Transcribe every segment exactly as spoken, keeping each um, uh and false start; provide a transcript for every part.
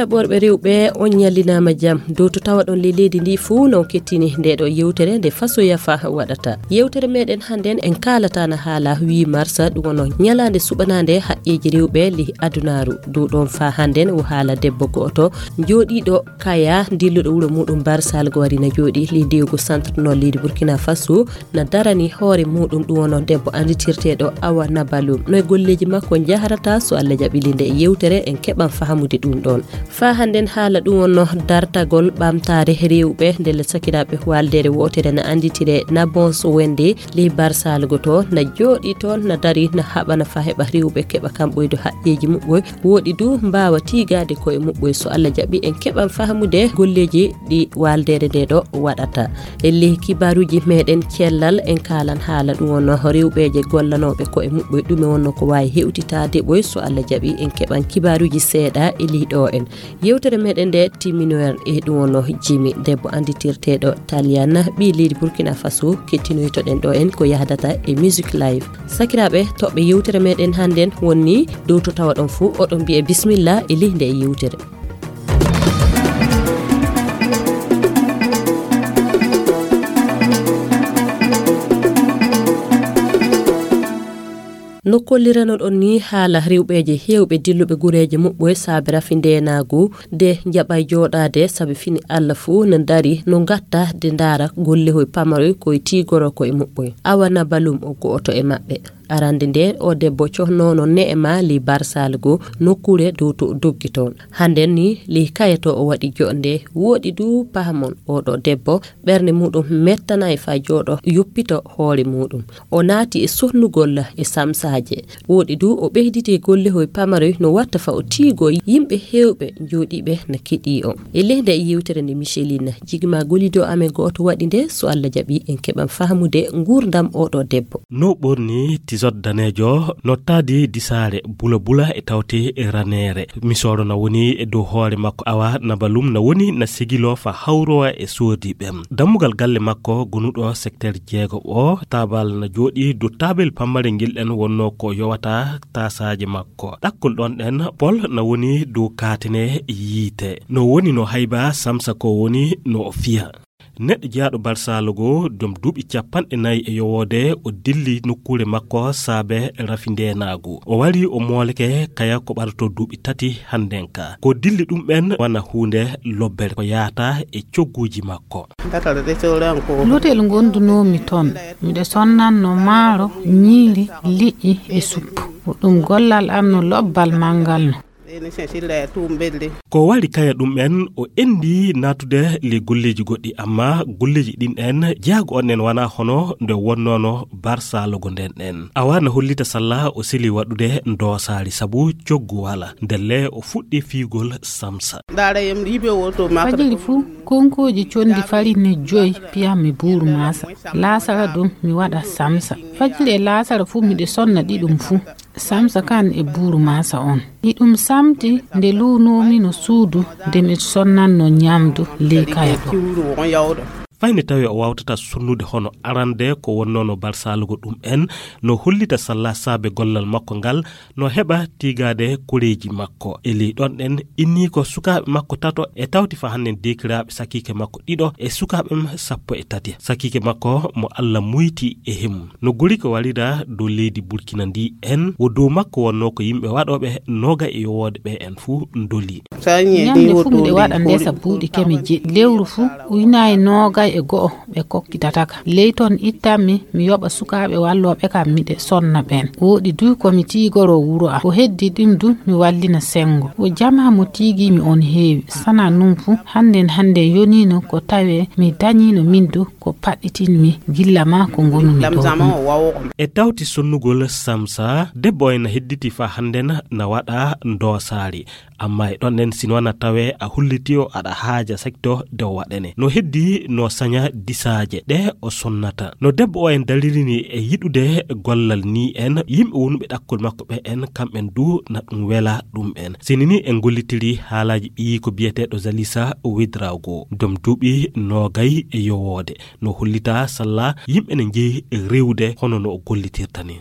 Ɓorɓe rewɓe, on ñallinaama jam. Dow to tawaɗon ley leydi ndi fuu, non kettini nde ɗo yewtere nde Faso Yafa waɗata. Yewtere meɗen hannden en kaalata na haala huit mars, ɗum woni ñalaande suɓanaande haqqeeji rewɓe ley adunaaru. Dow ɗon faa hannden o haala debbo go'oto jooɗiiɗo Kaya, dilluɗo wuro muɗum Barsal go wari na jooɗi ley dewgo centre nord leydi Burkina Faso, na darani hoore muɗum, ɗum woni debbo annditirteeɗo Awa Nabalum. No e golleeji makko njahrata, so Allah jaɓi ley nde yewtere en keɓan fahamude ɗum ɗon. Faa hannden haala ɗum woni dartagol ɓamtaare rewɓe, ndelle sakiraaɓe waaldeere wootere na annditire na Bonso Wende ley Barsal go to, na jooɗi toon, na dari, na haɓana faa heɓa rewɓe keɓa kamɓoyde haqqeeji muɓɓoy. Wooɗi du mbaawa tiigaade koye muɓɓoy. So Allah jaɓi en keɓan fahamude golleeji ɗi waaldeere nde ɗo waɗata. E ley kibaaruuji meɗen cellal en kaalan haala ɗum woni rewɓeeje gollanooɓe koye muɓɓoy, ɗume wonno ko waawi hewtitaade ɓoy. So Allah jaɓi en keɓan kibaaruuji seeɗa e ley ɗo en. Yewtere meɗen nde timminoyen e ɗum woni Jimi, debbo annditirteeɗo Taliana, ɓii leydi Burkina Faso, kettinoytoɗen ɗo en ko yahdata e Music Live. Sakiraaɓe, toɓɓe yewtere meɗen hannden woni dow to tawaɗon fuu, oɗon mbiye bismillah e ley nde yewtere. No kolliranoɗon ni, haala rewɓeeje heewɓe dilluɓe gureeje muɓɓoy saabe rafi ndeenaagu, de njaɓay jooɗaade, sabi fini Allah fuu no dari, no ngatta de ndaara gollehoy pamaroy koye tiigoro koye muɓɓoy. Awa Nabalum o go'oto e maɓɓe. Arande nde o debbo cohnoono ne'e ma ley Barsal go, nokkuure dow to o doggi toon. Hannden ni ley Kaya to o waɗi joɗnde. Wooɗi du pahamon, oɗo debbo ɓernde muɗum mettanaay faa jooɗo yoppito hoore muɗum. O naati e sonnugol e samsaaje. Wooɗi du o ɓeyditi gollehoy pamaroy no watta faa o tiigoo yimɓe heewɓe jooɗiiɓe na keɗii o. E ley nde yewtere nde Micheline, jigi ma golido amen gooto waɗi nde, so Allah jaɓi en keɓan fahamude nguurndam oɗo debbo. No ɓorni tisot daneejo, no taadi disaare bula bula e tawte e raneere. Misooɗo na woni e dow hoore makko, Awa Nabalum na woni na sigiloo faa hawrowa e soodi ɓen. Dammugal galle makko gonuɗo secteur jeego o, taabal na jooɗi dow taabel pammare ngel ɗen wonno ko yowata taasaaje makko. Ɗakkol ɗon ɗen, Pol na woni dow kaatene yiite. No woni no hayba Samsa ko woni no o fiya. Neɗɗo jeyaaɗo Barsal go, joom duuɓi cappanɗe nayi e yowoode, o dilli nokkuure makko saabe rafi ndeenaagu. O wari o mooleke Kaya ko ɓadotoo duuɓi tati hannden ka. Ko dilli ɗum ɓen wona huunde lobbere ko yaata e cogguuji makko. Lotel ngondunoomi toon, miɗo sonnanno maaro, ñiiri, liƴƴi e suppu. Ko ɗum gollal am no lobbal manngal no. Ko wari Kaya ɗum en, o enndi naatude ley golleeji goɗɗi, amma golleeji ɗin en, jeyaago on en wanaa hono nde wonnoono Barsal go nden en. Awa na hollita salla o seli waɗude ndoosaari sabu coggu wala. Ndelle o fuɗɗi fiyugol Samsa. Fajiri fuu, konkooji conndi farine joy piyammi buuru maasa. Laasara ɗum mi waɗa Samsa. Fajiri e laasara fuu miɗo sonna ɗiɗum fuu. Samsa kan e buuru maasa on. Hiɗum samti nde luunoomi no suudu nde mi sonnanno ñamdu ley Kaya ɗo. Fay nde tawi o waawtata sonnude hono arande ko wonnoono Barsal go ɗum en, no hollita salla saabe gollal makko ngal, no heɓa tiigaade koreeji makko. E ley ɗon ɗen, inni ko sukaaɓe makko tato e tawti fa hannden deekiraaɓe sakiike makko ɗiɗo e sukaaɓe am sappo e tati. Sakiike makko mo Allah muyti e hemum. No gori ko walida dow leydi Burkina ndi en, wo dow makko wonnoo ko yimɓe waɗooɓe nooga e yowoode ɓe en fuu ndoli. Ñande fuu miɗo waɗa ndesa buuɗi keme jeɗɗi. Lewru fuu, ujunaaji noogay e go'o ɓe kokkitataka. Ley ton ittanmi, mi yoɓa sukaaɓe wallooɓe kam miɗe sonna ɓen. Wooɗi du ko mi tiigoro wuro am. Ko heddi ɗum du mi wallina senngo. Wo jamaa mo tiigiimi on heewi. Sana nun fuu, hannden hannden yoniino ko tawee mi dañiino min du ko paɗɗitinmi gilla maa ko ngonumi ɗo ɗum. E tawti sonnugol Samsa, debbo en hedditi faa hannden na waɗa ndoosaari. Amma e ɗon ɗen, sino wana tawe a hulliti o aɗa haaja sakto de o waɗane. No heddi no saña disaaje ɗe o sonnata. No debbo o en dalirini e yiɗude gollal ni en, yimɓe wonuɓe ɗakkol makko ɓe en, kamɓen du na ɗum wela ɗum en. Sini ni en gollitiri haalaaji ɓiyi ko biyeteeɗo Zalisa Ouedraogo, dom duuɓi noogay e yowoode. No hollita salla yimɓe ne njehi rewde hono no o gollitirta ni.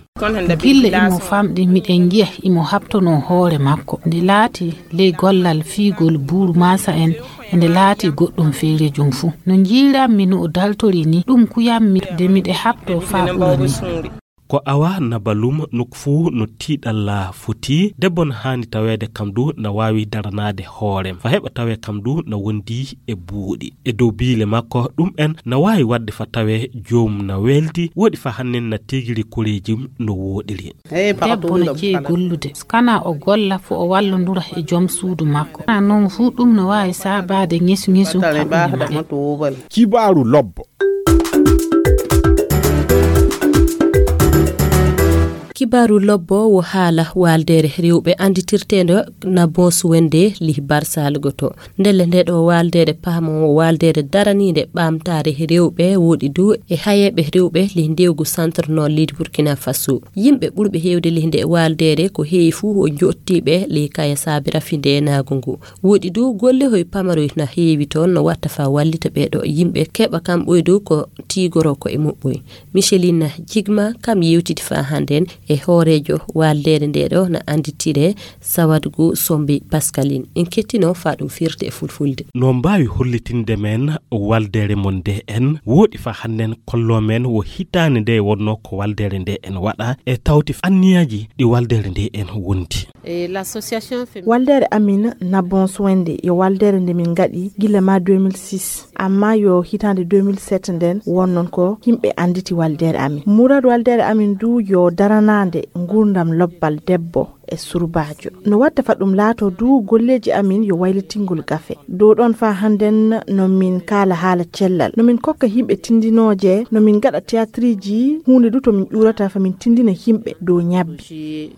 Gille imo famɗi, miɗen njiya imo haɓtonoo hoore makko. Nde laati ley gollal fiigol buuru maasa en, e nde laati goɗɗum feerejum fuu. No njiirammi no o daltori ni, ɗum kuyammi nde miɗe haɓtoo faa ɓura ni. Ko awa na balum nokku fuu no tiiɗalla foti. Debbo na haani taweede kam du na waawi daranaade hoorem. Fa heɓa tawee kam du na wondi e buuɗi. E dow biile makko ɗum en na waawi waɗde fa tawee joomum na weeldi. Woɗi fa hannen na tegiri koreejum no wooɗiri. Debbo na jeyi gollude. Kana o golla fo o wallondura e joom suudu makko. Kana noon fuu ɗum no waawi saabaade ŋesu-ŋesu haɓɓude maɓɓe. Kibaaru lobbo. Kibaaru lobbo wo haala waaldeere rewɓe annditirteende na Boos Wende lih Barsalgo to. Ndelle nde ɗo waaldeere paamo wo waaldeere daraniinde ɓamtaare rewɓe woɗi du e hayeeɓe rewɓe lih ndewgu Centre Nord leydi Burkina Faso. Yimɓe ɓurɓe heewde lih nde waaldeere ko heewi fuu wo joottiiɓe lih kaya saabi rafi ndeenaagu ngu. Woɗi du golle hoy pamaroy na heewi toon no watta fa wallita ɓee ɗo yimɓe keɓa kam ɓoydu ko tiigoro ko e muɓɓoy. Micheline Jigma kam yewtidi fa hannden e hooreejo waaldeere nde ɗo na annditire Sawadgu Sombi Pascaline. En kettino fa ɗum firte e fulfulde. No mbaawi hollitinde men waaldeere mon nde en woɗi fa hannden kollo men wo hitaande nde wonno ko waaldeere nde en waɗa e tawti anniyaaji ɗi waaldeere nde en wondi. Waaldeere amin na Boos Wende yo waaldeere nde min ngaɗi gila ma deux mille six, amma yo hitaande deux mille sept nden wonnon ko yimɓe annditi waaldeere amin. Muraadu waaldeere amin du yo daranaande nguurndam lobbal debbo e surbaajo. No watta fa ɗum laato du golleeji amin yo waylitingol gafe. Dow ɗon fa hannden no min kaala haala cellal. No min kokka yimɓe tindinooje, no min ngaɗa tiyaatiriji, huunde du to min ƴuurata fa min tindina yimɓe dow ñabbi.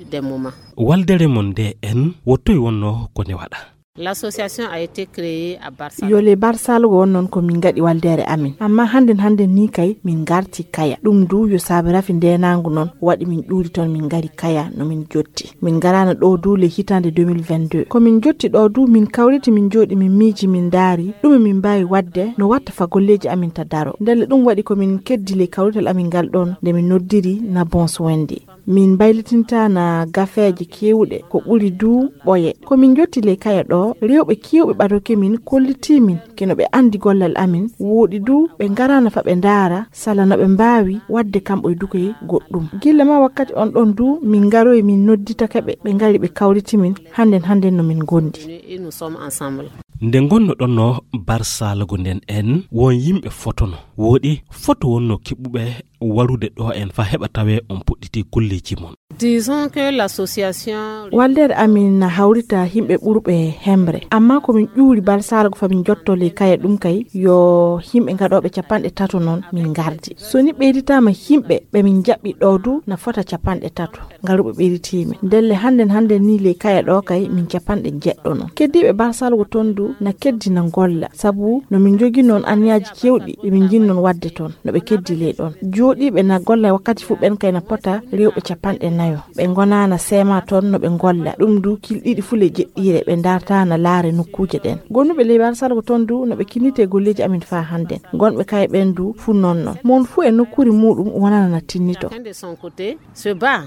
Waldere mon nde en, wo toy wonno ko ne waɗa? L'association a été créée à Barsalgo. Yo le Barsalgo won noon ko min ngaɗi waldere amin. Amma hannden hannden ni kay min ngarti Kaya. Ɗum du yo saabe rafi ndeenaangu noon waɗi min ƴuuri toon min ngari Kaya no min jotti. Min ngaraano ɗo du le hitaande deux mille vingt-deux. Ko min jotti ɗo du min kawriti min jooɗi min miiji min ndaari ɗume min mbaawi waɗde no watta fa golleeji amin ta daro. Ndelle ɗum waɗi ko min keddi le kawrital amin ngal ɗoon nde min noddiri na Boos Wende. Min mbaylitinta na gafeeje keewɗe, ko ɓuri du ɓoye. Ko min njotti ley Kaya ɗo, rewɓe keewɓe ɓadoke min, kollitii min, keno ɓe anndi gollal amin, wooɗi du ɓe ngaraana fa ɓe ndaara, sala no ɓe mbaawi waɗde kamɓe e dukoy goɗɗum. Gilla ma wakkati on ɗon du, min ngaroyi min nodditake ɓe, ɓe ngari ɓe kawriti min, hannden hannden no min ngondi. Et nous sommes ensemble. Nde ngonnoɗonno Barsalgo nden en, won yimɓe fotono. Wooɗi foto wonno keɓuɓe warude ɗo en fa heɓa tawe on puɗɗiti golleeji mon. Disons que l'association. Waldere amin na hawrita yimɓe ɓurɓe hemre. Amma ko min ƴuuri Barsalgo fa min jotto ley Kaya ɗum kay yo yimɓe ngaɗooɓe capanɗe tato noon min ngardi. So ni ɓeyditaama yimɓe ɓe min jaɓɓi ɗo du na fota capanɗe tato. Ngaruɓe ɓeyditiimi. Ndelle hannden hannden ni ley Kaya ɗo kay min capanɗe jeɗɗo noon. Keddiiɓe Barsalgo toon du na keddi na ngolla. Sabu no min njogii noon anniyaaji keewɗi ɗi min njiɗnoo waɗde toon. No ɓe keddi ley ɗoon. Jooɗiiɓe na golla wakkati fuu ɓeen kay na pota rewɓe capanɗe nayo. Ɓe ngonaa na seema toon no ɓe ngolla. Ɗum du kil ɗiɗi fuu ley jeɗɗiire ɓe ndartaa na laare nokkuuje ɗeen. Gonnuɓe ley Barsalgo toon du no ɓe kinnitee golleeji amin faa hannden. Gonɓe Kaya ɓeen du fuu noon noon. Mon fuu e nokkuure muuɗum wonana na tinnito. Chacun de son côté se bat.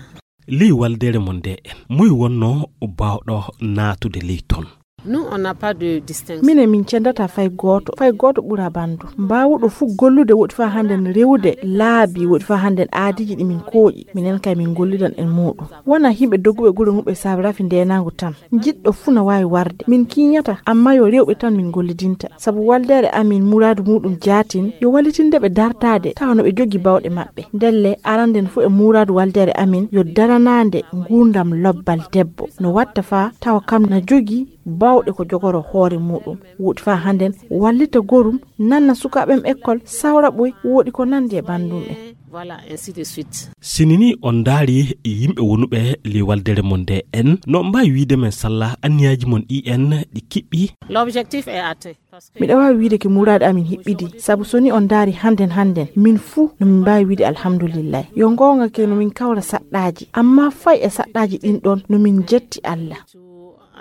Ley waldere mon nde en, moy wonno baawɗo naatude ley ton? Nous, on n'a pas de distinction. Minen min cendata fay gooto, fay gooto ɓura banndum. Mbaawuɗo fuu gollude woɗi faa hannden rewude laabi, woɗi faa hannden aadiiji ɗi min kooƴi. Minen kay min ngollidan e muuɗum. Wonaa yimɓe dogguɓe gure muɓɓe saabe rafi ndeenaangu tan. Jiɗɗo fuu na waawi warde. Min kiinyata, amma yo rewɓe tan min ngollidinta. Sabu waldere amin muraadu muuɗum jaatin, yo wallitinde ɓe dartaade, tawa no ɓe jogii baawɗe maɓɓe. Ndelle, aranden fuu e muraadu waldere amin, yo daranaande nguurndam lobbal debbo. No watta faa, tawa kam na jogii baawɗe ko jogoro hoore muuɗum. Woɗi faa hannden, wallita gorum, nanna sukaaɓe am ekkol, sawra ɓoy, woɗi ko nanndi e banndum en. Voilà, ainsi de suite. Sini ni on ndaari yimɓe wonuɓe ley waldere mon nde en, no on mbaawi wiide men salla anniyaaji mon ɗi en ɗi kiɓɓi? L'objectif est atteint. Miɗo waawi wiide ke muraadu amin hiɓɓidi, sabu so ni on ndaari hannden hannden, min fuu no min mbaawi wiide alhamdulillahi. Yo ngoonga ke no min kawra saɗɗaaji, amma fay e saɗɗaaji ɗin ɗon no min jetti Alla.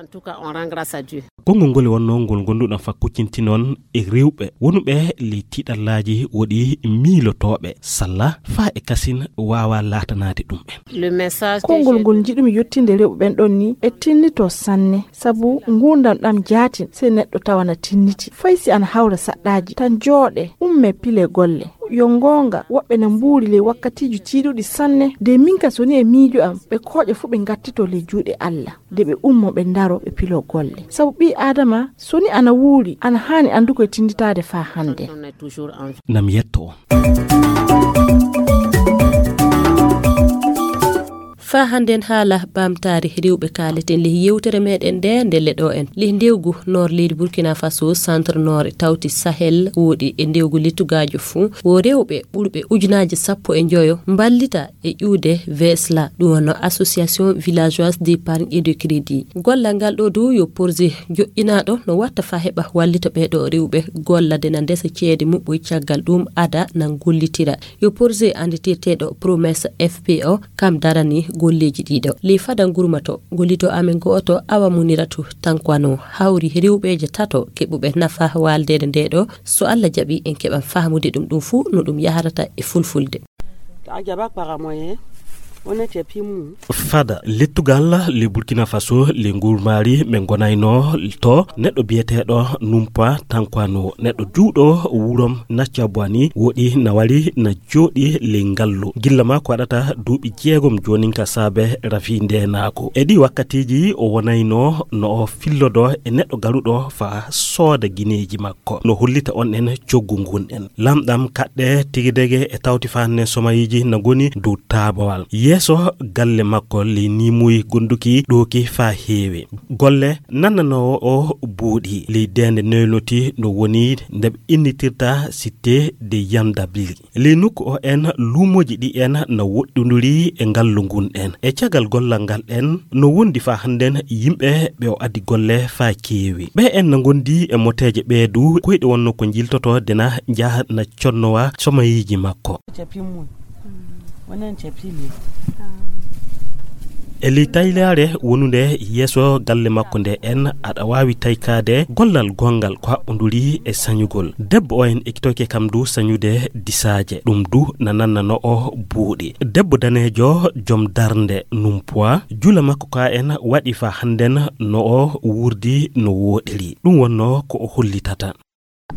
En tout cas, on rend grâce à Dieu. Konngol ngol wonnoo ngol ngonduɗon fa kuccinti noon e rewɓe wonuɓe ley tiiɗallaaji woɗi miilotooɓe salla faa e kasin waawaa laatanaade ɗum en. Le message que konngol j'ai ngol njiɗumi yettinde rewɓe ɓen ɗon ni e tinnito sanne, sabu nguurndam ɗam jaatin sey neɗɗo tawana tinniti. Fay si ana hawra saɗɗaaji, tan jooɗe, umme pile golle. Yo ngoonga, woɓɓe na mbuuri ley wakkatiiji tiiɗuɗi sanne. De min ka so ni e miijo am, ɓe kooƴe fuu ɓe ngattito ley juuɗe Alla. De ɓe ummo ɓe ndaro ɓe pilo golle. Sabu ɓii Aadama, so ni ana wuuri, ana haani anndu ko e tinnditaade faa hannde. Nam yetto on. Faa hannden haala ɓamtaare rewɓe kaaleten ley yewtere meɗen nde ndelle ɗo en. Ley ndewgu noor leydi Burkina Faso, centre noor e tawti Sahel woɗi e ndewgu lettugaajo fuu, wo rewɓe ɓurɓe ujunaaji sappo e njoyo mballita e ƴuwde vesla, ɗum wonno Association Villageoise d'Épargne et de Crédit. Gollal ngal ɗo dow yo projet joƴƴinaaɗo no watta faa heɓa wallita ɓee ɗo rewɓe golla de na ndesa ceede muɓɓoy caggal ɗum ada na gollitira. Yo projet annditirteeɗo Promesse F P O kam darani golleeji ɗiɗo. Ley fada ngurmato, gollito amen gooto Awa Muniratu Tankwano hawri rewɓeeje tato keɓuɓe nafa waaldeede nde ɗo, so Alla jaɓi en keɓan faamude ɗum ɗum fuu no ɗum yahrata e fulfulde. Fada lettugal le Burkina Faso le ngurmaari ɓe ngonayno to neɗɗo biyeteeɗo Numpa Tankwano, neɗɗo juuɗo wurom Nacabwani woɗi na wari na jooɗi ley ngallu. Gilla maa ko waɗata duuɓi jeegom joonin ka saabe rafi ndeenaagu. E ɗii wakkatiiji o wonayno no o fillodo e neɗɗo garuɗo faa sooda gineeji makko. Ko no hollita on en coggu ngun en. Lamɗam kaɗɗe tigi dege e tawti faa nen somayiiji na ngoni dow taabawal. Yeeso galle makko ley niimuy gonduki ɗooki faa heewi. Golle nannanoowo o buuɗi ley deende newnoti no woni nde ɓe innitirta Cité de Yandabli. Ley nokku o en luumooji ɗi en na woɗɗunduri e ngallu ngun en. E caggal gollal ngal en no wondi faa hannden yimɓe ɓe o addi golle faa keewi. Ɓe en na ngondi e moteeje ɓee du koyɗe wonno ko njiltoto de na njaha na connowa somayiiji makko. E ley taylaare wonunde yeeso galle makko nde en, aɗa waawi taykaade gollal gonngal ko haɓɓonduri e sañugol. Debbo o en ekitoyke kam du sañude disaaje, ɗum du na nannano o buuɗi. Debbo daneejo, jom darnde, numpuwa, jula makko ka en waɗi faa hannden no o wurdi no wooɗiri. Ɗum wonno ko o hollitata.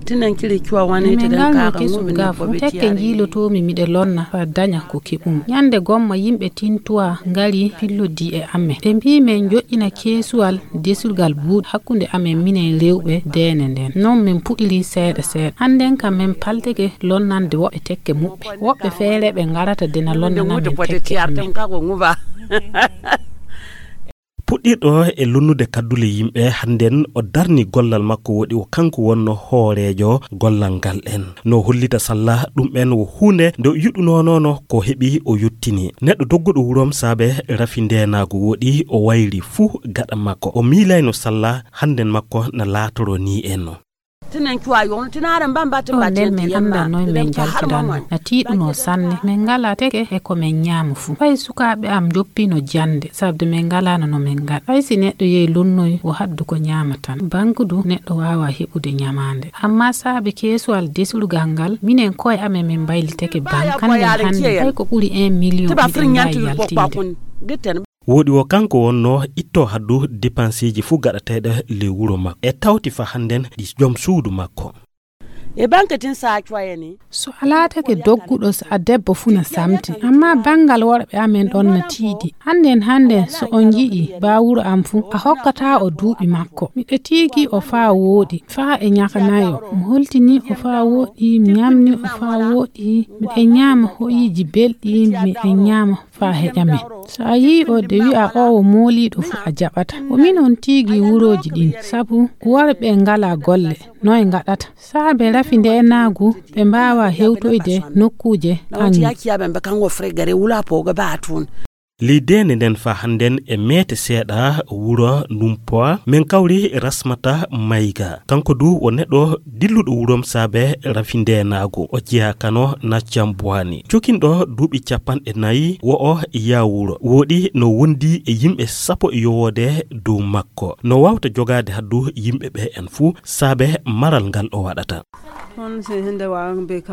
Tinen kiri cuwa wani Min te dan ngal no kaka kesum ngumi ga ne fu, bobe tekke tiare. Njiilotoomi miɗe lonna faa daña ko keɓumi. Ñande gomma yimɓe Tintuwa ngari pillodii e amen. Ɓe mbii men joƴƴina keesuwal desurgal buuɗi hakkunde amen minen rewɓe deene nden. Non min puɗiri seeɗa seeɗa. Hannden kam men paltike lonnande woɓɓe tekke muɓɓe. Woɓɓe feere ɓe ngarata dena lonnana men tekke amen. Puɗɗirɗo e lonnude kaddule yimɓe, hannden o darni gollal makko, woɗi o kanko wonno hooreejo gollal ngal en. No hollita salla ɗum en wo huunde nde o yiɗunoonono ko heɓi o yottini. Neɗɗo dogguɗo wurom saabe rafi ndeenaagu woɗi o wayri fuu gaɗa makko. O miilayno salla hannden makko na laatoro nii en no. Tinen cuwa yon, tinare mbamba te Ɗo nden men annda noy men jaltiranno. Na tiiɗuno sanne. Men ngala teke e ko men ñaama fu. Fay sukaaɓe am njoppino jannde, sabde men ngalano no men ngaɗa. Fay si neɗɗo yehi lonnoy, o haddu ko ñaama tan. Banku du, neɗɗo waawa heɓude ñamaande. Amma saabe keesuwal desurgal ngal, minen koye amen min mbayliteke bank. Hannden hannde, fay ko ɓuri un million miɗen mbaawi yaltinde. Woɗi wo kanko wonno itto haddu depansiiji fuu gaɗateeɗe ley wuro makko. E tawti fa hannden ɗi jom suudu makko. E banke tin sa cuwayeni. So a laatake dogguɗo, so a debbo fuu na samti. Amma banngal worɓe amen ɗon na tiiɗi. Hannden, hannden, so on yi'i ba wuro am fuu, a hokkata o duuɓi makko. Miɗo tiigi o faa wooɗi, faa e ñaka nayo. Mi holtini o faa wooɗi, mi ñamni o faa wooɗi. Miɗen ñaama hoyiiji belɗi, miɗen ñaama faa heƴa men. So a yi'i o de wi'a o wo mooliiɗo fu, a jaɓata. Ko min on tiigi wurooji ɗin, sabu worɓe ngalaa golle, noy ngaɗata? Saabe rafi ndeenaagu, ɓe mbaawaa hewtoyde nokkuuje kaŋŋe. Yakiya ɓe mbe kaŋŋo fregare wula pogo ba tun. Ley deende nden faa hannden e meete seeɗa wuro Numpoa, men kawri Rasmata Mayga. Kanko du o neɗɗo dilluɗo wurom saabe rafi ndeenaagu. O jeyaa kano na Cambuwaani. Cokinɗo duuɓi capanɗe nayi wo'o yaa wuro. Wooɗi no wondi e yimɓe sappo e yowoode dow makko. No waawta jogaade haddu yimɓe ɓe en fuu saabe maral ngal o waɗata.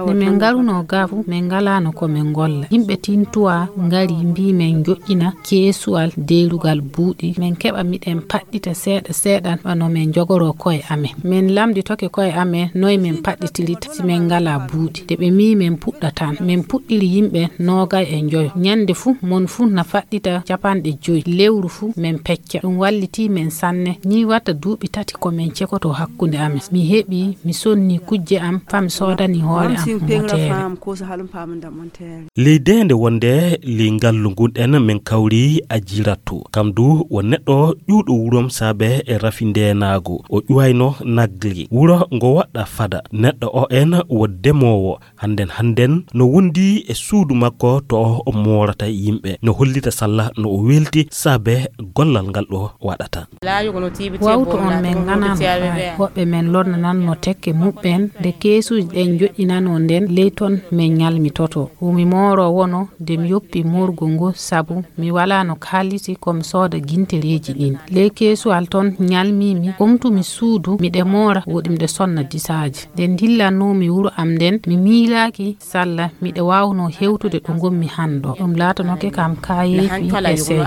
Nde min ngarunoo gaa fu, min ngalaano ko min ngolla. Yimɓe Tintuwa ngari, mbii min njoƴƴina keesuwal deyrugal buuɗi, min keɓa miɗen paɗɗita seeɗa seeɗa wano min njogoroo ko'e amen. Min lamnditoke ko'e amen noy min paɗɗitirta si min ngalaa buuɗi. Nde ɓe mii min puɗɗataa, min puɗɗiri yimɓe noogay e njoyo. Ɲande fu, mon fu na faɗɗita capanɗe jowi. Lewru fu, min pecca. Ɗum wallitii min sanne. Nii watta duuɓi tati ko min cekotoo hakkunde amen. Mi heɓii, mi sonnii kujje am, faa mi soodanii hoore am moteere. Ley deende wonde ley ngallu ngun ɗen, min kawri Ajiratu. Kam du wo neɗɗo ƴuwɗo wurom saabe e rafi ndeenaagu. O ƴuwayno Nagli. Wuro ngo waɗɗa fada. Neɗɗo o en wo demoowo. Hannden hannden no wondi e suudu makko to o moorata yimɓe. No hollita salla no o welti saabe gollal ngal ɗo waɗata. Wawtu on min nganaano faayi. Woɓɓe men lornananno tekke muɓɓen nde keesuuji ɗen njoƴƴinanoo nden ley ton min ɲalmitotoo. Wo mi mooroo wono nde mi yoppi moorgol ngol sabu mi walaano kaalisi ko mi sooda gintereeji ɗin. Ley keesuwal ton ɲalmiimi, omtumi suudu miɗe moora woɗi miɗe sonna disaaji. Nde ndillannoomi wuro am nden mi miilaaki salla miɗe waawnoo hewtude ɗo ngonmi hannden. Ɗum laatanoke kam kaayeefi e sey.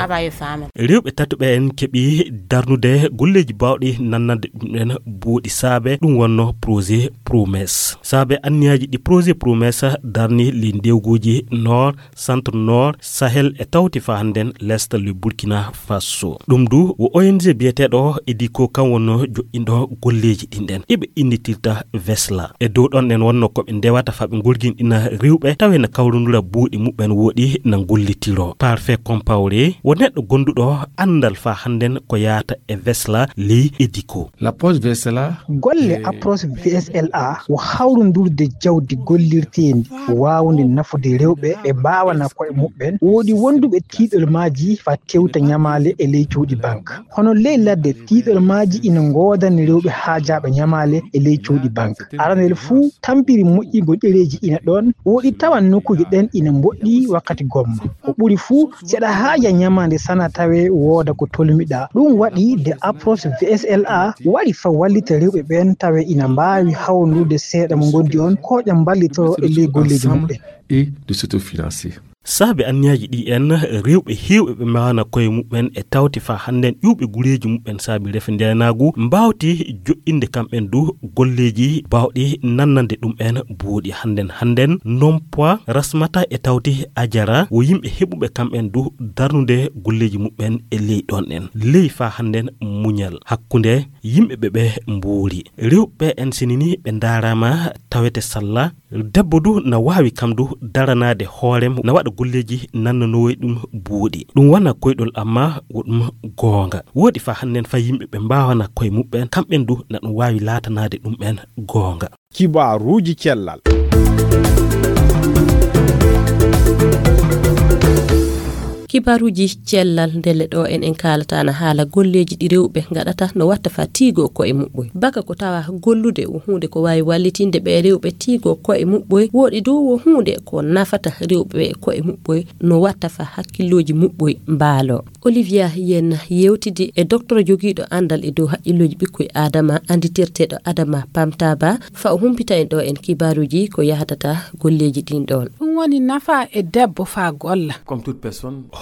Rewɓe tati ɓe en keɓi darnude golleeji baawɗi nannande ɗum en buuɗi saabe ɗum wonno projet Promesse. Saabe anniyaaji ɗi projet Promesse darni ley ndewguuji Nord, Centre Nord, Sahel e tawti faa hannden L'Est le Burkina Faso. Ɗum du wo O N G biyeteeɗo Ediko kan wonno joɗɗinɗo golleeji ɗin ɗen. Iɓe innitirta Vesla. E dow ɗon ɗen wonno ko ɓe ndewata faa ɓe ngorginɗina rewɓe tawe na kawrundura buuɗi muɓɓen wooɗi na ngollitiro. Parfait Compaoré wo neɗɗo gonduɗo anndal faa hannden ko yaata e Vesla ley Ediko. Golle approche V S L A wo hawrundurde jawdi gollirteendi waawndi nafude rewɓe ɓe mbaawana ko'e muɓɓen. Woodi wonduɓe tiiɗol maaji faa tewta ɲamaale e ley cuuɗi bank. Hono ley ladde, tiiɗol maaji ina ngoodani rewɓe haajaaɓe ɲamaale e ley cuuɗi bank. Aranel fuu, tampiri moƴƴingol ɗereeji ina ɗoon. Woodi tawan nokkuuje ɗen ina mboɗɗi wakkati gomma. Ko ɓuri fuu, si aɗa haaja ɲamaande sana tawee wooda ko tolmiɗaa. Ɗum waɗi nde approche V S L A wari faa wallita rewɓe ɓeen tawee ina mbaawi hawrundude seeɗa mo ngondi on, kooƴa mballitoro e ley golleeji muɓɓen. Saabe anniyaaji ɗi en, rewɓe heewɓe ɓe mbaawana ko'e muɓɓen e tawti faa hannden ƴuwɓe gureeji muɓɓen saabe rafi ndeenaagu mbaawti joɗɗinde kamɓen du golleeji baawɗi nannande ɗum en buuɗi. Hannden hannden non poids Rasmata e tawti Ajara wo yimɓe heɓuɓe kamɓen du darnude golleeji muɓɓen e ley ɗon en. Ley faa hannden muɲal hakkunde yimɓe ɓe ɓe mbuuri. Rewɓe en sinini ɓe ndaaraama tawete salla. Debbo du na waawi kam du daranaade hoorem, na waɗa golleeji nannanoowi ɗum buuɗi. Ɗum wona koyɗol amma wo ɗum goonga. Wooɗi faa hannden faa yimɓe ɓe mbaawana ko'e muɓɓen, kamɓen du na ɗum waawi laatanaade ɗum en goonga. Kibaaruuji cellal. Kibaaruuji cellal ndelle ɗo en en kaalata na haala golleeji ɗi rewɓe ngaɗata no watta faa tiigoo ko'e muɓɓoy. Baka ko tawa gollude wo huunde ko waawi wallitinde ɓe rewɓe tiigoo ko'e muɓɓoy, wooɗi du wo huunde ko nafata rewɓe ko'e muɓɓoy no watta faa hakkillooji muɓɓoy mbaaloo. Olivia Yen yewtidi e docteur jogiiɗo anndal e dow haqqillooji ɓikkoy Adama annditirteeɗo Adama Pamtaba faa o humpita en ɗo en kibaaruuji ko yahdata golleeji ɗin ɗon. Ɗum woni nafa e debbo faa golla.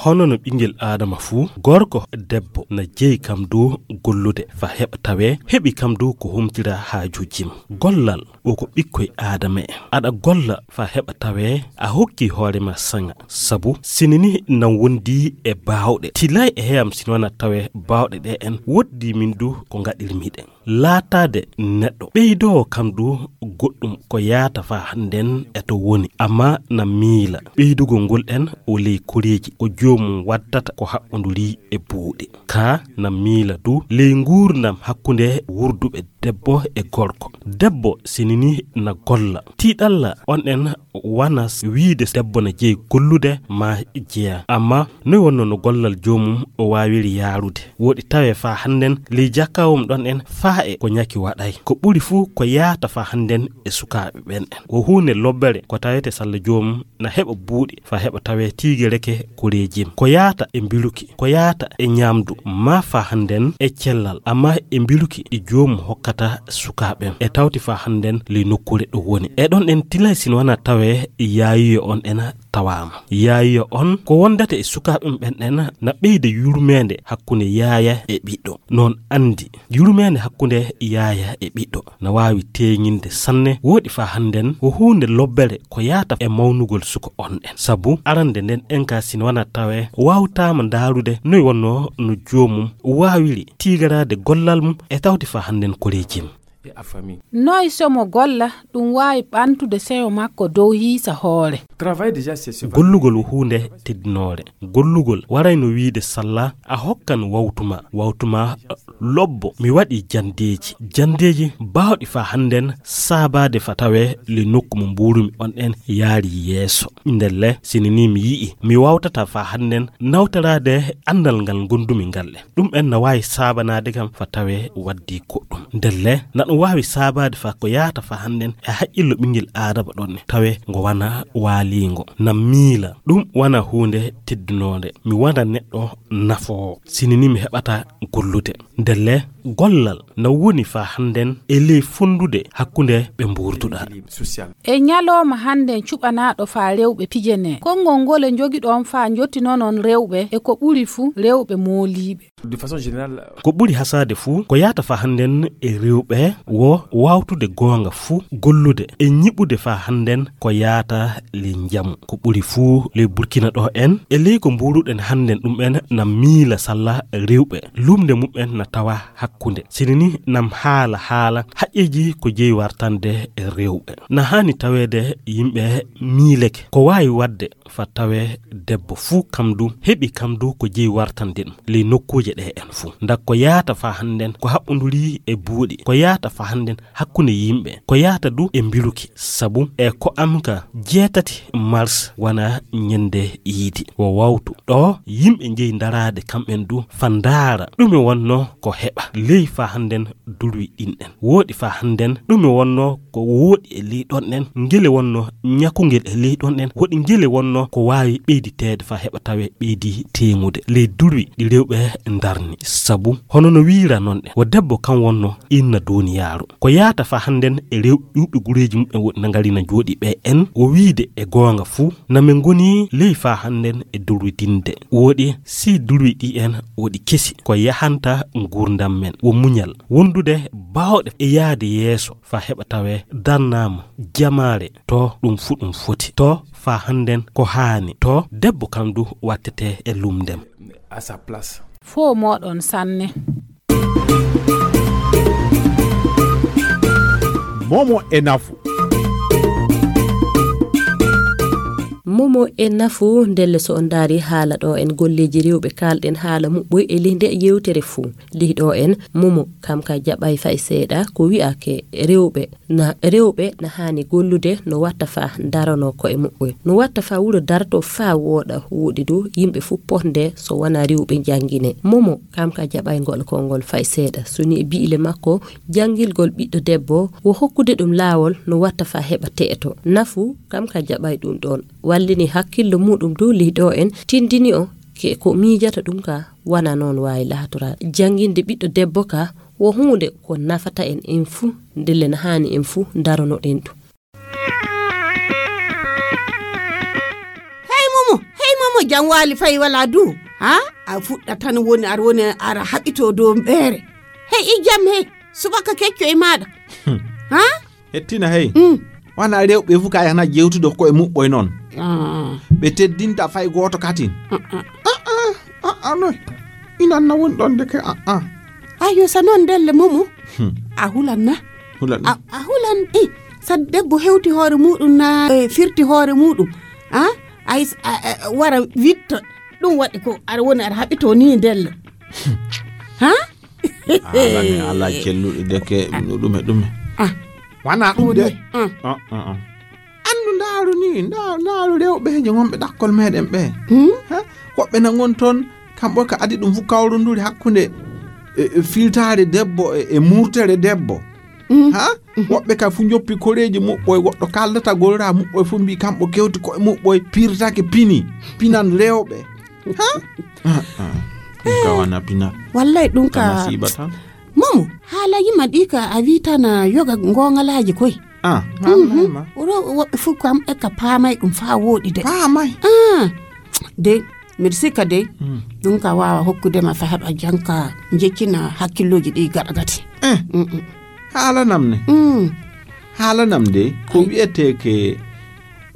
Hono no ɓinngel Aadama fuu, gorko debbo na jeyi kam dow gollude faa heɓa tawee heɓi kam dow ko humtira haajuuji mum. Gollal o ko ɓikkoy Aadama en. Aɗa golla faa heɓa tawee a hokki hoore ma saŋa. Sabu sinini nan wondi e baawɗe. Tilay e heyam sinwana tawee baawɗe ɗe en woddii min du ko ngaɗirmi ɗen. Laataade neɗɗo ɓeydoowo kam du goɗɗum ko yaata faa hannden e to woni, amma na miila ɓeydugol ngol ɗen o ley koreeji ko joomum waddata ko haɓɓondurii e buuɗi. Kaa na miila du ley nguurndam hakkunde wurduɓe debbo e gorko. Debbo sinini na golla. Tiiɗalla on en wanas wiide debbo na jeyi gollude ma jeya. Amma noy wonno no gollal joomum o waawiri yaarude? Woɗi tawe faa hannden ley jakkawum ɗon en faa e ko ñaki waɗay. Ko ɓuri fuu ko yaata faa hannden e sukaaɓe ɓen en. Ko huunde lobbere ko tawete salla joomum na heɓa buuɗi faa heɓa tawe tiige reke koreejim. Ko yaata e mbiluki, ko yaata e ñaamdu, maa faa hannden e cellal, amma e mbiluki ɗi joomum hokkata sukaaɓe en. E tawti faa hannden ley nokkuure ɗo woni. E ɗon en tilay sino wana tawe yaayiyo on en tawaama. Yaayiyo on ko wondata e sukaaɓe ɓen en na ɓeyda yurmeende hakkunde yaaya e ɓiɗɗo. Noon anndi yurmeende hakkunde yaaya e ɓiɗɗo na waawi teeŋinde sanne. Woɗi faa hannden ko huunde lobbere ko yaata e mawnugol suka on en. Sabu arande nden en ka sino wana tawe waawtaama ndaarude noy wonno no joomum waawiri tiigaraade gollal mum e tawti faa hannden koreejim. Noy somo golla ɗum waawi ɓantude seyo makko dow hiisa hoore? Gollugol ko huunde teddinoore. Gollugol warayno wiide salla a hokkan wawtu ma, wawtu ma lobbo. Mi waɗi janndeeji, janndeeji baawɗi faa hannden saabaade faa tawe ley nokku mo mbuurumi on en yaari yeeso. Ndelle sini ni mi yi'i mi wawtata faa hannden nawtoraade anndal ngal ngondumi ngal e ɗum en na waawi saabanaade kam faa tawe waɗdi goɗɗum. Ndelle na ɗum waawi saabaade faa ko yaata faa hannden e haqqillo ɓinngel aadama ɗon ne tawe ngo wana waaliingo. Na miila ɗum wana huunde teddinoonde. Mi wana neɗɗo nafoowo. Sini ni mi heɓata gollude. Ndelle gollal na woni faa hannden e ley fonndude hakkunde ɓe mbuurduɗaa. E ñalooma hannden cuɓanaaɗo faa rewɓe pijenee. Konngol ngole njogiɗon faa njottinonon rewɓe e ko ɓuri fuu rewɓe mooliiɓe. Ko ɓuri hasaade fuu ko yaata faa hannden e rewɓe wo waawtude goonga fuu gollude e ñiɓude faa hannden ko yaata ley njamu. Ko ɓuri fuu ley Burkina ɗo en e ley ko mbuuruɗen hannden ɗum en na miila salla rewɓe. Lumnde mum en na tawa hakkunde. Sini ni nam haala haala haqqeeji ko jeyi wartande rewɓe. Na haani taweede yimɓe miileke. Ko waawi waɗde faa tawe debbo fuu kam du heɓi kam du ko jeyi wartande ɗum ley nokkuuje ɗe en fuu. Nda ko yaata faa hannden ko haɓɓundurii e buuɗi. Ko yaata faa hannden hakkunde yimɓe. Ko yaata du e mbiluki. Sabu e ko am ka jeetati mars wana ñande yiidi. Wo wawtu ɗo yimɓe njeyi ndaraade kamɓen du faa ndaara ɗume wonno ko heɓa ley faa hannden dulwi ɗin en. Woɗi faa hannden ɗume wonno ko woɗi e ley ɗon en, ngele wonno ñakungel e ley ɗon en, woɗi ngele wonno ko waawi ɓeyditeede faa heɓa tawe ɓeydi teeŋude ley dulwi ɗi rewɓe ndarni. Sabu hono no wiira non en, wo debbo kan wonno inna duuniyaaru. Ko yaata faa hannden e rewɓe ƴuuɓe gureeji mum en woɗi na ngari na jooɗi ɓe en, wo wiide e goonga fuu, na men ngoni ley faa hannden e dulwidinde. Woɗi si dulwi ɗi en woɗi kesi ko yahanta nguurndam men. Wo muñal wondude baawɗe e yahde yeeso faa heɓa tawe darnaama jamaare to ɗum fuu ɗum foti. To faa hannden ko haani. To debbo kam du wattete e lumndem. Foo mooɗon sanne. Momo e nafu. Momo e nafu. Ndelle so on ndaari haala ɗo en golleeji rewɓe kaalɗen haala muɓɓoy e ley nde yewtere fuu. Ley ɗo en Momo kam ka jaɓay fay seeɗa ko wi'ake rewɓe na rewɓe na haani gollude no watta faa daranoo ko'e muɓɓoy, no watta faa wuro dartoo faa wooɗa. Wooɗi du yimɓe fuu potnde so wanaa rewɓe njanngine. Momo kam ka jaɓay ngol konngol fay seeɗa. So ni e bi'ile makko janngilgol ɓiɗɗo debbo wo hokkude ɗum laawol no watta faa heɓa te'eto. Nafu kam ka jaɓay ɗum ɗoon. Wallini hakkillo muuɗum dow ley ɗo en tinndini o ke ko miijata ɗum ka wana noon waawi laatoraade. Jannginde ɓiɗɗo debbo ka wo huunde ko nafata en en fuu, ndelle na haani en fuu ndaronoɗen ɗum. Hey Momo, hey Momo, jam waali fay wala du? Ha? A fuɗɗa tan woni ar woni ara haɓito dow mbeere. Hey i jam hey, subaka kecco e maaɗa. Ha? Hettina hey. Wana rewɓe fuu ka yahna jewtude ko e muɓɓoy noon. Ɓe teddinta fay gooto katin. Aa noy. Inan na woni ɗon ndeke aa. Ayo sa noon ndelle Momo. A hulan na? Hulan. A hulan i sa debbo hewti hoore muɗum na firti hoore muɗum. A ay wara witto ɗum waɗi ko aɗa woni aɗa haɓito ni ndelle. Ha? Alaa mi alaa celluɗi deke, no ɗume, ɗume. Ah. Wanaa ɗum de. Wallahi. Ah. Ah, ah, ah. Anndu ndaaru ni, ndaa-, ndaaru rewɓe je wonɓe ɗakkol meɗen ɓe. Hmm? Ha? Woɓɓe na ngon toon, kamɓe ka adi ɗum fu kawrunduri hakkunde, e, e, filtaare debbo e, e murtere debbo. Hmm. Ha? Mhm. Woɓɓe ka fu njoppi koreeji muɓɓoy, woɗɗo kaldata gorra muɓɓoy fu mbi kamɓe kewti koye muɓɓoy, pirtake pini, pinan rewɓe. Ha? Ah, ah. Ɗum ka wana pina. Wallay ɗum ka ka masiiba tan. Momo, haala yima ɗi ka a wi tan a yoga ngongalaaji koy. Ah, mhm. Ro-, woɓɓe fof kam e ka paamay ɗum faa wooɗi de. Paamay? Ah, de, mbiɗa sikka de, mm, ɗum ka waawa hokkude ma fa heɓa janka njeccina hakkillooji ɗi gaɗa gati. Eh, mm, mm. Haalanam ne? Mm. Haalanam de, ko wiyetee ke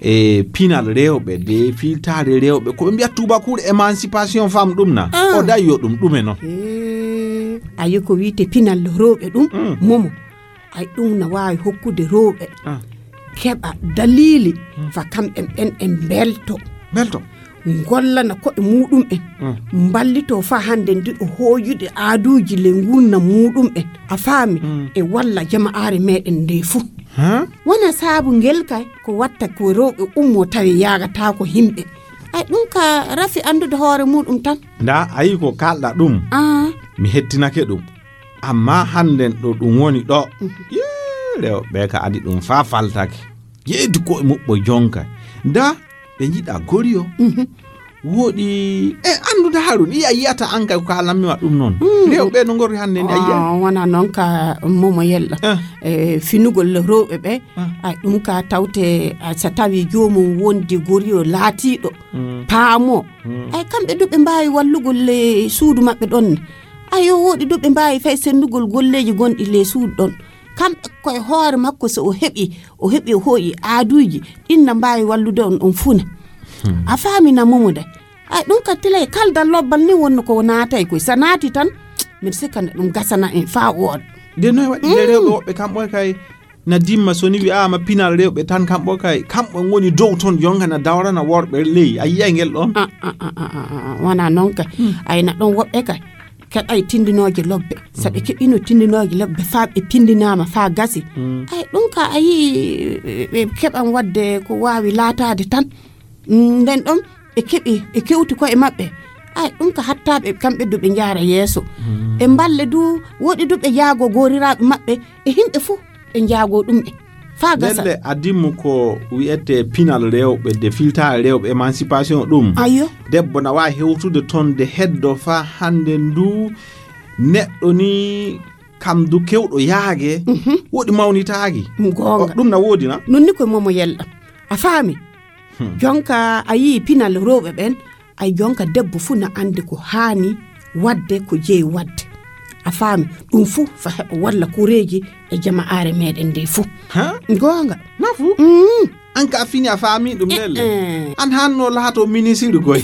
e pinal rewɓe de, filtaare rewɓe, ko ɓe mbiya tuubakuru émancipation femme ɗum na? Ah. O dañi yo ɗum, ɗume non? Eh, ayi ko wiyetee pinal rewɓe ɗum, mm, momo. Ay, ɗum na waawi hokkude rewɓe, ah, keɓa daliili, hmm, fa kamɓe ɓen ɓe mbelto. Mbelto. Ngollana koɓe muɗum'en. Hmm. Mballitoo fa hannde ndiɗo hooyude aaduuji ley ngurndan muɗum'en. A faami? Hmm. E walla jama'aare meɗen nde fuu. Huh? Wona saabu ngel kay ko watta ko rewɓe ummoo tawi yaagataako yimɓe. Ay, ɗum ka rafi anndude hoore muɗum tan. Ndaa, a yii ko kaalɗa ɗum. Ah. Mi hettinake ɗum. Amma hannden ɗo ɗum woni ɗo. Mhm. Yee, rewɓe ka adi ɗum faa faltake. Yeeydu ko'e muɓɓo jonka. Ndaa, ɓe njiɗa goriyo. Mhm. Wooɗi, e anndude haru, ɗi a yiyata an kay ko kaalanmi ma ɗum noon. Mm. Rewɓe no ngorri hannde ni, a yiya? Ah, wona noon ka momo yella. Eh. E finugol rewɓe ɓe, ah, ay ɗum ka tawte, ah, so tawi joomum wondi goriyo laatiiɗo, mm, paamoo. Mm. Ay kamɓe du ɓe mbaawi wallugol le suudu maɓɓe ɗon ne. Ayo, wooɗi du ɓe mbaawi fay sendugol golleeji gonɗi ley suudu ɗon. Kamɓe koye hoore makko, so o heɓi, o heɓi, o hooƴi aaduuji, ɗin na mbaawi wallude on, on fuu na. Hmm. A faami na momo de. Ay, ɗum ka tilay kaldal lobbal ni wonno ko naatay koy. So naati tan, mbiɗa sikka nde ɗum gasana en faa wooɗa. Nde noy waɗi nde rewɓe woɓɓe kamɓe kay na dimma so ni wi'aama pinal rewɓe tan kamɓe kay, kamɓe ngoni dow ton jonka na dawrana worɓe ley. A yiyay ngel ɗon? Ah, ah, ah, ah, ah, ah, wona noon kay. Hmm. Ay na ɗon woɓɓe kay. Keɓay tindinooje lobbe. So ɓe keɓino tindinooje lobbe faa ɓe pindinaama faa gasi. Mm. Ay, ɗum ka a yii, ɓe, ɓe keɓan waɗde ko waawi laataade tan. Mm, nden ɗon ɓe keɓi, ɓe kewti koye maɓɓe. Ay, ɗum ka hattaaɓe kamɓe du ɓe njaara yeeso. Mm. Ɓe mballe du, woɗi du ɓe jaago gooriraaɓe maɓɓe e yimɓe fuu. Ɓe njaagoo ɗum en. Faa gasa. Ndelle adimmu ko wi'etee pinal rewɓe, de filtaare rewɓe, émancipation ɗum. Ayyo. Debbo na waawi hewtude toon de heddo faa hannde ndu neɗɗo ni kam du kewɗo yaage, mhm, woɗi mawnitaaki. Goonga. O, ɗum na woodi na? Nun ni ko momo yella. A faami? Hmm. Jonka a yii pinal rewɓe ɓen, ay jonka debbo fuu na anndi ko haani waɗde, ko jeyi waɗde. A faami? Ɗum fuu fa heɓa walla koreeji e jama'aare meɗen nde fuu. Ha? Goonga. Nafu? Mm. An ka fini a faami ɗum lelle? Eh, eh. An hanno laato minisiri koy.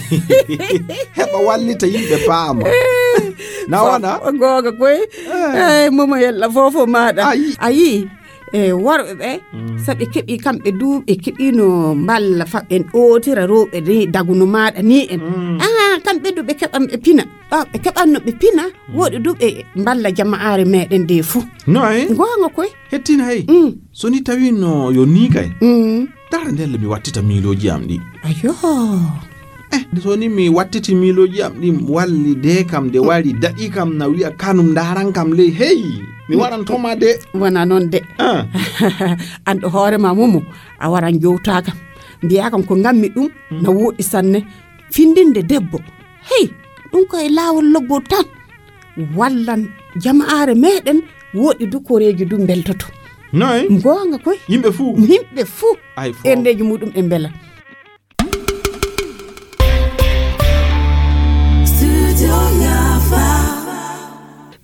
Heɓa wallita yimɓe paama. Eh. Na wona? Fo-, goonga koy. Eh. Eh, momo yella fofo maaɗa. Ayi. Ayi. E worɓe ɓe, mm, so ɓe keɓi kamɓe du, ɓe keɓino mballa fa ɓen ɗootira rewɓe ni daguno maaɗa ni en. Mm. Ah, kamɓe du ɓe keɓan ɓe pina. Ɗo ɓe keɓanno ɓe pina, mm, woɗi du ɓe mballa jama'aare meɗen nde fuu. No ay? Goonga koy. Hettina hey. Mm. So ni tawino yo ni kay. Mm. Dara ndelle mi wattita miilooji am ɗi. Ayo. Eh, so ni mi wattiti miilooji am ɗi walli de kam, de wari daɗi kam na wi'a kanum ndaran kam ley. Hey, mi waran toma de. Wona noon de. Ah. An ɗo hoore ma momo, a waran jowta kam. Mbiya kam ko ngammi ɗum, mm, na woɗi sanne. Findinde debbo. Hey, ɗum ko e laawol loggol tan. Wallan jama'aare meɗen woɗi du koreeji du mbeltoto. Noy? Goonga koy. Yimɓe fuu? Yimɓe fuu. Ay fo. Ɓerndeeji muɗum e mbela.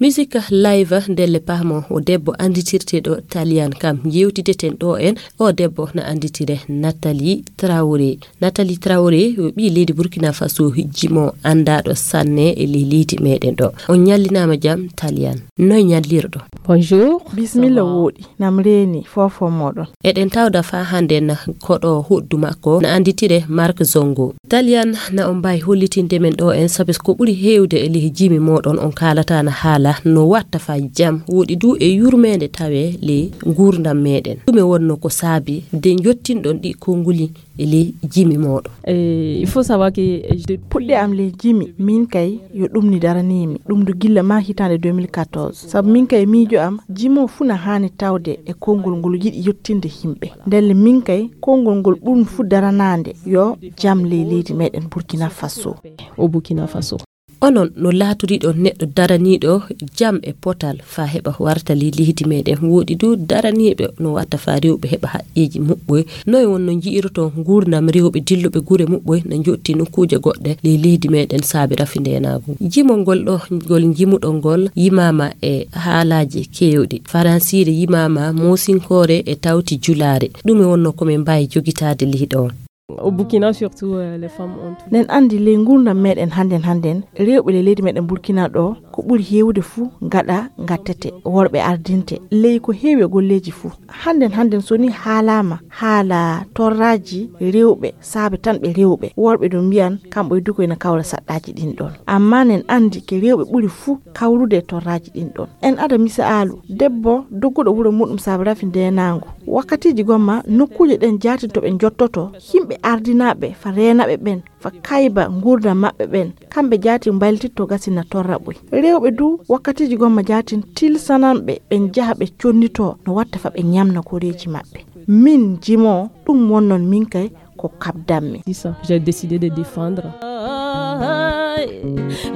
Musique live ndelle paamo o debbo annditirteeɗo Talian kam njeewtideten ɗo en. O debbo na annditire Nathalie Traoré. Nathalie Traoré yo ɓii leydi Burkina Faso, jimo anndaaɗo sanne e ley leydi meɗen ɗo. On ñallinaama jam Talian. Noy ñallirɗo? Bonjour. Bismilla wooɗi. Nam reeni fofo moɗon. Eɗen tawda faa hannden koɗo hoɗdu makko na annditire Marc Zongo. Talian na on mbaawi hollitinde men ɗo en, sabi ko ɓuri heewde e ley jimi moɗon on kaalata na haala Ah, no watta fa jam, woɗi du e yurmeende tawe ley nguurndam meɗen. Ɗume wonno ko saabi de njottinɗon ɗi konnguli e ley jimi mooɗon? Eh, il faut savoir que, eh, je- Puɗɗe am ley jimi, min kay yo ɗum ni daraniimi. Ɗum du gilla ma hitaande deux mille quatorze. Sabu min kay miijo am, jimo fuu na haani tawde e konngol ngol yiɗi yottinde yimɓe. Ndelle min kay, konngol ngol ɓurmi fuu daranaande yo jam ley leydi meɗen Burkina Faso. Au Burkina Faso. Onon no laatoriɗon neɗɗo daraniiɗo jam e potal faa heɓa warta ley leydi meɗen. Woɗi du daraniiɓe no watta faa rewɓe heɓa haqqeeji muɓɓoy. Noy wonno nji'iroton nguurndam rewɓe dilluɓe gure muɓɓoy na njotti nokkuuje goɗɗe ley leydi meɗen saabe rafi ndeenaagu? Jimol ngol ɗo ngol njimuɗon ngol yimaama e haalaaji keewɗi. Faransiire yimaama, moosinkoore e tawti julaare. Ɗume wonno ko min mbaawi jogitaade ley ɗoon? Au Burkina surtout, euh, les femmes ont tout. Nen anndi ley nguurndam meɗen hannden hannden, rewɓe ley leydi meɗen Burkina ɗo, ko ɓuri heewude fuu ngaɗa ngattete, worɓe ardinte, ley ko heewi e golleeji fuu. Hannden hannden so ni haalaama, haala torraaji rewɓe, saabe tan ɓe rewɓe, worɓe ɗum mbiyan, kamɓe du ko ina kawra saɗɗaaji ɗin ɗon. Amma nen anndi ke rewɓe ɓuri fuu kawrude e torraaji ɗin ɗon. En ada misaalu, debbo dogguɗo wuro muɗum saabe rafi ndeenaangu. Wakkatiiji gomma, nokkuuje ɗen jaatin to ɓe njottoto, yimɓe ardinaaɓe fa reenaɓe ɓen, fa kayba nguurndam maɓɓe ɓen, kamɓe jaatin mbaylititto gasi na torra ɓoy. Rewɓe du, wakkatiiji gomma jaatin tilsananɓe ɓe njaha ɓe connitoo no watta fa ɓe ñamna koreeji maɓɓe. Min jimo, ɗum wonnon min kay ko kabdanmi. C'est ça, j'ai décidé de défendre.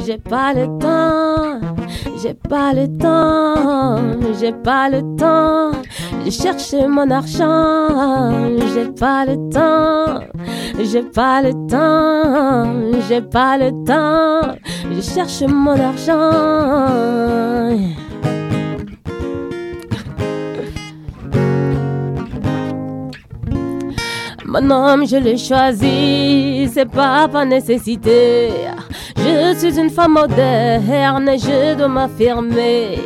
J'ai pas le temps, j'ai pas le temps, j'ai pas le temps. Je cherche mon argent, j'ai pas le temps, j'ai pas le temps, j'ai pas le temps. Je cherche mon argent. Mon homme, je l'ai choisi, c'est pas par nécessité. Je suis une femme moderne et je dois m'affirmer.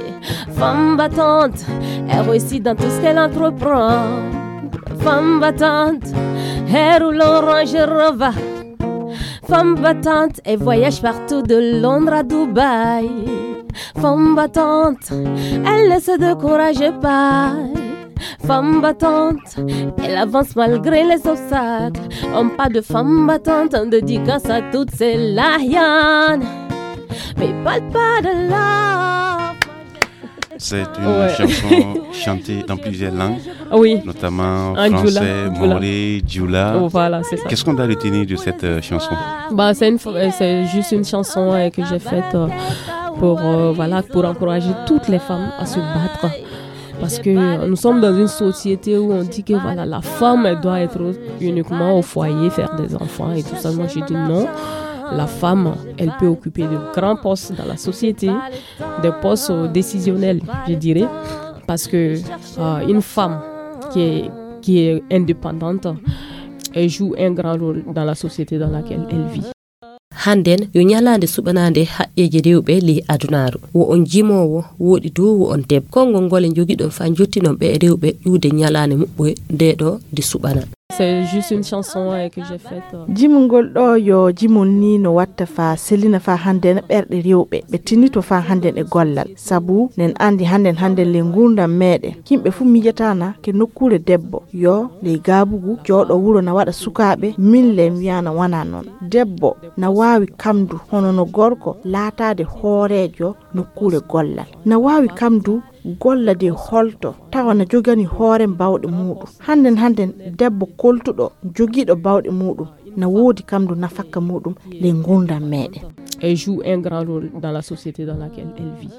Femme battante, elle réussit dans tout ce qu'elle entreprend. Femme battante, elle roule en Range Rover. Femme battante, elle voyage partout de Londres à Dubaï. Femme battante, elle ne se décourage pas. Femme battante, elle avance malgré les obstacles. On parle de femme battante, on dédicace à toutes ces Lahianes. Mais parle pas de la... C'est une... Ouais. Chanson chantée dans plusieurs langues, oui, notamment en français, dioula, dioula. Maoré, dioula. Oh, voilà, c'est ça. Qu'est-ce qu'on doit retenir de cette, euh, chanson ? Bah, c'est une fo-, euh, c'est juste une chanson, euh, que j'ai faite, euh, pour, euh, voilà, pour encourager toutes les femmes à se battre. Parce que, euh, nous sommes dans une société où on dit que, voilà, la femme, elle doit être uniquement au foyer, faire des enfants et tout ça. Moi, je dis non. La femme, elle peut occuper de grands postes dans la société, des postes, euh, décisionnels, je dirais. Parce que, euh, une femme qui est, qui est indépendante, elle joue un grand rôle dans la société dans laquelle elle vit. Hannden yo ñalaande suɓanaande haqqeeji rewɓe ley adunaaru. Wo on jimoowo, woɗi du wo on debbo. Konngol ngol e njogiɗon faa njottinon ɓe rewɓe ƴuwde ñalaande muɓɓoy nde ɗo nde suɓana. C'est juste une chanson, euh, que j'ai faite, euh. Jimol ngol ɗo yo jimol ni no watta faa sellina faa hannden ɓerɗe rewɓe, ɓe tinnito faa hannden e gollal. Sabu nen anndi hannden hannden ley nguurndam meɗen, yimɓe fuu miijataana ke nokkuure debbo, yo ley gaabugu jooɗo wuro na waɗa sukaaɓe, min le mi wiyaana wonaa non. Debbo na waawi kamdu hono no gorko laataade hooreejo nokkuure gollal. Na waawi kamdu golla de holto tawa na jogani hoore baawɗe muuɗum. Hannden hannden debbo koltuɗo jogiiɗo baawɗe muuɗum na woodi kamdu nafakka muuɗum ley nguurndam meɗen. Elle joue un grand rôle dans la société dans laquelle elle vit.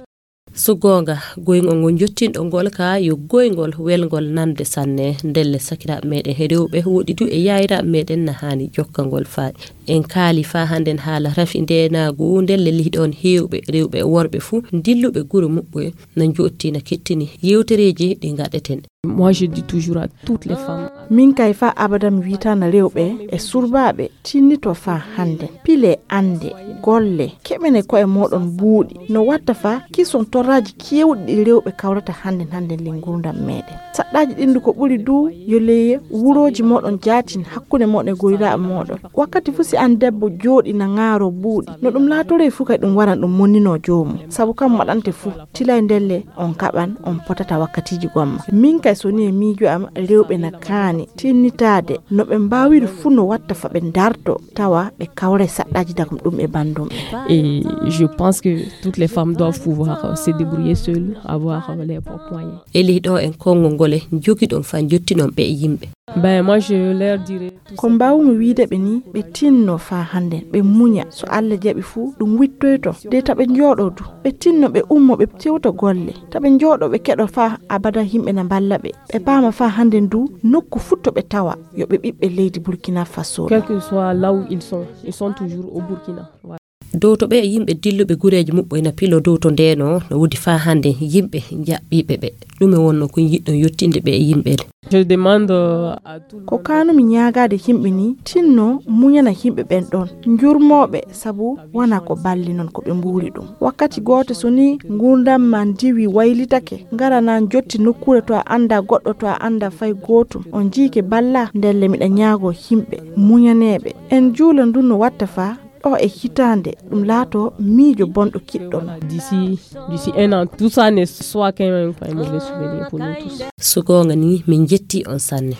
So goonga, goyngol ngol njottinɗo ngol ka yo goyngol welngol nande sanne. Ndelle sakiraaɓe meɗen he rewɓe woɗi du e yaayiraaɓe meɗen na haani jokkangol faa. En kaali faa hannden haala rafi ndeenaagu, ndelle lihi ɗoon heewɓe rewɓe e worɓe fuu dilluɓe gure muɓɓoy na njottii na kettini yeewtereeji ɗi ngaɗeten. Moi, je dis toujours à toutes les femmes. Min kay fa abada mi witana rewɓe e surbaaɓe tinnito fa hannde. Pile annde, golle, keɓene koye moɗon buuɗi. No watta fa kison torraji kewɗi ɗi rewɓe kawrata hannde hannde le ngurdam meɗen. Saɗɗaji ɗindu ko ɓuri du yo leye wuroji moɗon jatin hakkunde moɗon e goyraaɓe moɗon. Wakkati fu si an debbo jooɗi na ŋaaro buuɗi, no ɗum laatorey fu kay ɗum waran ɗum monnino joomum. Sabu kam waɗante fu, tilay ndelle on kaɓan, on potata wakkatiji gomma. Min kay so ni e miijo am, rewɓe na kaani tinnitaade no ɓe mbawiri fu no watta fa ɓe darto, tawa ɓe kawray saɗɗaji dagum ɗum e bandum. Et je pense que toutes les femmes doivent pouvoir, euh, se débrouiller seules, avoir, euh, les propres moyens. Eli ɗo en konngol ngol e jogiɗon fa jottinon ɓe e yimɓe. Ben, moi, je leur dirais tout ko mbawmi wiide ɓe ni, ɓe tinno fa hannde, ɓe muña. So Allah jaɓi fu, ɗum wittoyto. De taɓe njooɗo du, ɓe tinno, ɓe ummo, ɓe tewta golle. Taɓe njooɗo, ɓe keɗo fa abada yimɓe na mballa ɓe. Ɓe paama fa hannde du, nokku fu to ɓe tawa, yo ɓe ɓiɓɓe leydi Burkina Faso. Quel que soit là où ils sont, ils sont toujours au Burkina. Voilà. Dow to ɓe e yimɓe dilluɓe gureeji muɓɓo ena pilo dow to ndeno, no woodi fa hannde yimɓe jaɓɓiiɓe ɓe. Ɗume wonno ko yiɗɗon yottinde ɓe e yimɓe ɗe? Je demande, euh, à tout le monde. Ko kanumi ñaagaade yimɓe ni, tinno muñana yimɓe ɓen ɗon. Njurmooɓe, sabu wona ko balli non ko ɓe mbuuri ɗum. Wakkati gooto so ni ngurdam ma ndiwi waylitake, ngara na jotti nokkuure to a annda goɗɗo to a annda fay gootum. On jiike balla, ndelle miɗa ñaago yimɓe muñaneeɓe. En juula ndun no watta fa ɗo e hitaande, ɗum laato miijo bonɗo kiɗɗon. D'ici, d'ici un an, tout ça ne soit qu'un, un mauvais souvenir pour nous tous. So goonga ni, min jetti on sanne.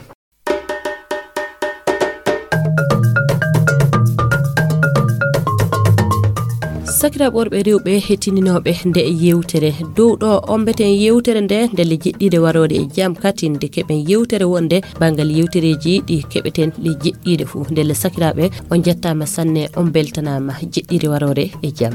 Sakiraaɓe worɓe e rewɓe hettininooɓe nde yewtere, dow ɗo ombeten yewtere nde ndelle jeɗɗiire waroore e jam, katin nde keɓen yewtere wonde banngal yewtereeji ɗi keɓeten ɗe jeɗɗiire fuu. Ndelle sakiraaɓe, on njettaama sanne, on mbeltanaama, jeɗɗiire waroore e jam.